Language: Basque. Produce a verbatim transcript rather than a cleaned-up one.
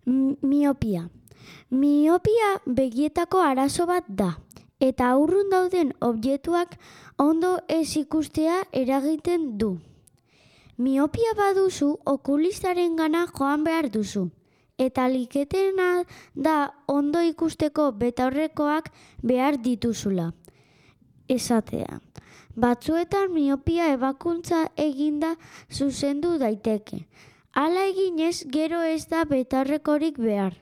M- Miopia. Miopia begietako arazo bat da, eta urrun dauden objektuak ondo ez ikustea eragiten du. Miopia baduzu, okulistaren gana joan behar duzu, eta liketena da ondo ikusteko betaurrekoak behar dituzula. Esatea. Batzuetan miopia ebakuntza eginda zuzendu daiteke. Hala eginez, gero ez da betaurrekorik behar.